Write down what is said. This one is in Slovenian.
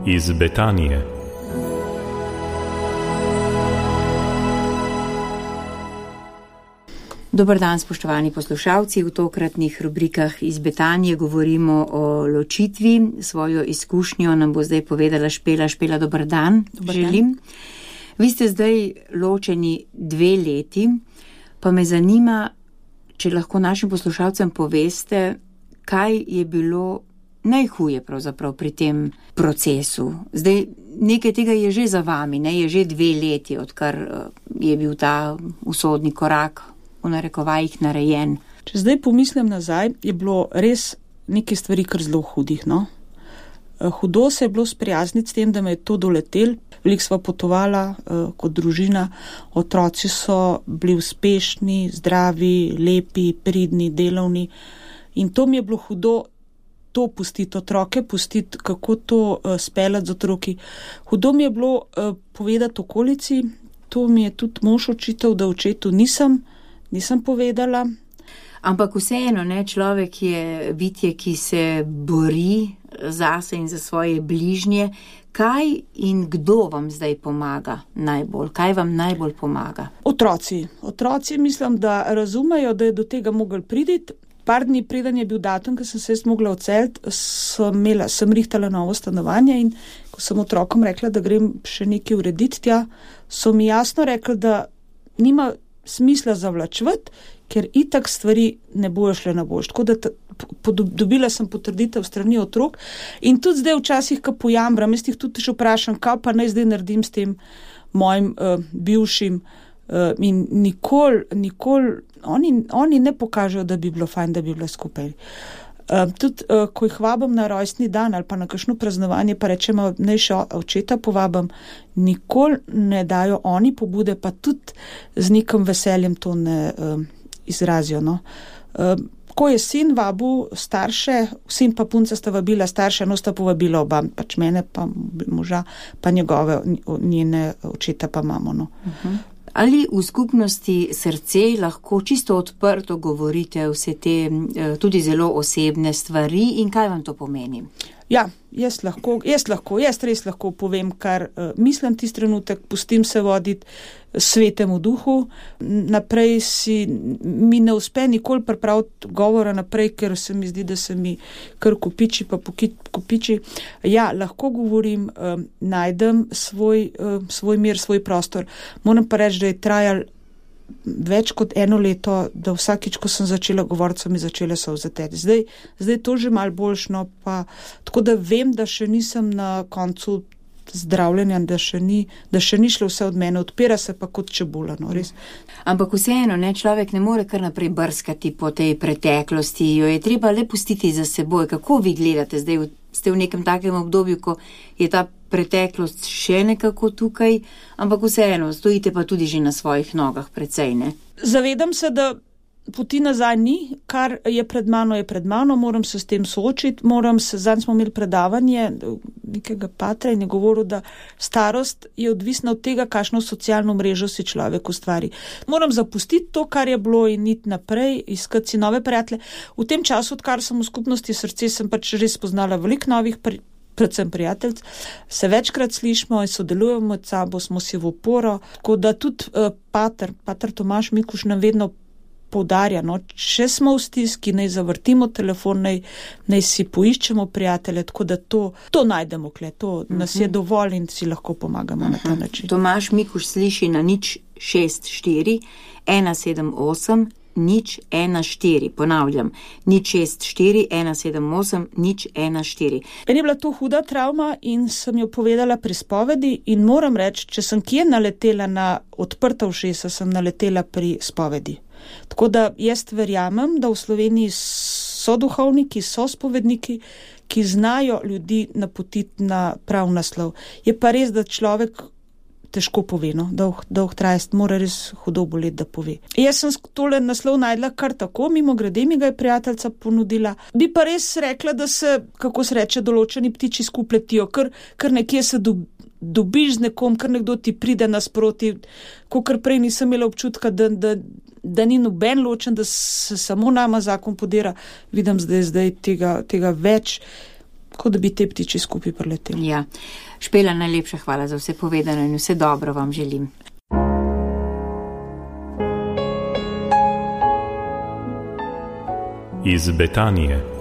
iz Betanije. Dober dan, spoštovani poslušalci. V tokratnih rubrikah iz Betanije govorimo o ločitvi. Svojo izkušnjo nam bo zdaj povedala Špela. Špela, dober dan. Želim. Vi ste zdaj ločeni 2 leti, pa me zanima, če lahko našim poslušalcem poveste, kaj je bilo najhuje pravzaprav pri tem procesu. Zdaj, nekaj tega je že za vami, ne? Je že 2 leti, odkar je bil ta usodni korak v narekovajih narejen. Če zdaj pomislim nazaj, je bilo res nekaj stvari kar zelo hudih, no. Hudo se je bilo sprijazniti s tem, da me je to doletel. Veliko sva potovala kot družina, otroci so bili uspešni, zdravi, lepi, pridni, delovni. In to mi je bilo hudo, to pustiti otroke, pustiti, kako to speljati z otroki. Hudo mi je bilo povedati okolici, to mi je tudi mož očital, da očetu nisem povedala. Ampak vseeno, ne, človek je bitje, ki se bori zase in za svoje bližnje. Kaj in kdo vam zdaj pomaga najbolj? Kaj vam najbolj pomaga? Otroci. Otroci mislim, da razumejo, da je do tega mogel priti. Par dni preden je bil datum, ko sem se mogla odseliti, sem rihtala novo stanovanje in ko sem otrokom rekla, da grem še nekaj urediti tja, so mi jasno rekli, da nima smisla zavlačevati, ker itak stvari ne bojo šle na boljše. Tako da dobila sem potrditev strani otrok in tudi zdaj včasih, ko pojambram, jaz jih tudi še vprašam, kaj pa naj zdaj naredim s tem mojim bivšim in nikoli oni ne pokažejo, da bi bilo fajn, da bi bila skupaj. Tudi, ko jih vabim na rojstni dan ali pa na kakšno praznovanje, pa rečemo, naj še očeta povabim, nikoli ne dajo oni pobude, pa tudi z nekim veseljem to ne izrazijo, no. Ko je sin vabil starše, sin pa punca sta vabila starše, no sta povabila oba, pač mene pa moža, pa njene očeta pa mamo, no. Ali v skupnosti Srce lahko čisto odprto govorite vse te tudi zelo osebne stvari in kaj vam to pomeni? Ja, jaz res lahko povem, kar mislim tisti trenutek, pustim se voditi svetemu duhu, naprej mi ne uspe nikoli pripraviti govora naprej, ker se mi zdi, da se mi kar kopiči pa kopiči. Ja, lahko govorim, najdem svoj mir, svoj prostor. Moram pa reči, da je trajal več kot 1 leto, da vsakič, ko sem začela govoriti, so mi začele solze teči. Zdaj to že malo boljšno, pa tako da vem, da še nisem na koncu zdravljenja, da še ni šlo vse od mene, odpira se pa kot čebula, no, res. Ampak vseeno, ne, človek ne more kar naprej brskati po tej preteklosti, jo je treba le pustiti za seboj. Kako vi gledate zdaj? Ste v nekem takem obdobju, ko je ta preteklost še nekako tukaj, ampak vseeno, stojite pa tudi že na svojih nogah precej, ne? Zavedam se, da poti nazaj ni, kar je pred mano, moram se s tem soočiti, zadnj smo imeli predavanje nekega patra in je govoril, da starost je odvisna od tega, kakšno socialno mrežo si človek ustvari. Moram zapustiti to, kar je bilo in iti naprej, iskati si nove prijatelje. V tem času, odkar sem v skupnosti Srce, sem pač res spoznala veliko novih predvsem prijatelj, se večkrat slišimo in sodelujemo med sabo, smo si v oporo, tako da tudi pater Tomaž Mikuš nam vedno poudarja, no, če smo v stiski, naj zavrtimo telefon, naj si poiščemo prijatelje, tako da to najdemo kle, to nas je dovolj in si lahko pomagamo na ta način. Tomaž Mikuš sliši na 064 178 014, ponavljam, 064 178 014. Meni je bila to huda travma in sem jo povedala pri spovedi in moram reči, če sem kje naletela na odprta ušesa, sem naletela pri spovedi. Tako da jaz verjamem, da v Sloveniji so duhovniki, so spovedniki, ki znajo ljudi napotiti na prav naslov. Je pa res, da človek težko pove, no, dolg trajst, mora res hudo boleti, da pove. Jaz sem tole naslov najdla kar tako, mimo grede mi ga je prijateljica ponudila. Bi pa res rekla, da se, kako se reče, določeni ptiči skupletijo, kar nekje se dobiš z nekom, kar nekdo ti pride nasproti, kakor prej nisem imela občutka, da ni noben ločen, da se samo nama zakon podira. Vidim zdaj tega več. kot da bi te ptiči skupaj preleteli. Ja. Špela, najlepša hvala za vse povedano in vse dobro vam želim. Iz Betanije.